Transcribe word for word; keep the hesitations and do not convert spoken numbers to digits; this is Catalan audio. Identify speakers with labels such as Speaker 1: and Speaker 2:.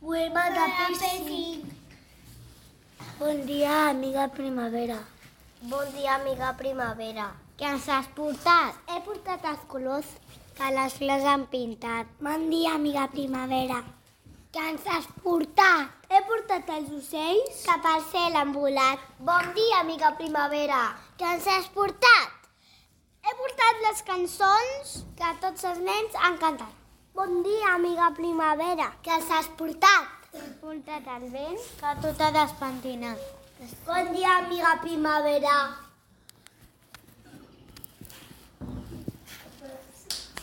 Speaker 1: Poema de pessic. Bon dia, amiga primavera.
Speaker 2: Bon dia, amiga primavera.
Speaker 1: Què ens has portat?
Speaker 2: He portat els colors que les flors han pintat.
Speaker 1: Bon dia, amiga primavera. Què ens has portat?
Speaker 2: He portat els ocells que pel cel han volat. Bon dia, amiga primavera.
Speaker 1: Què ens has portat?
Speaker 2: He portat les cançons que tots els nens han cantat.
Speaker 1: Bon dia, amiga primavera.
Speaker 2: Què els has portat?
Speaker 1: He portat el vent que tot ha despentinat.
Speaker 2: Bon dia, amiga primavera.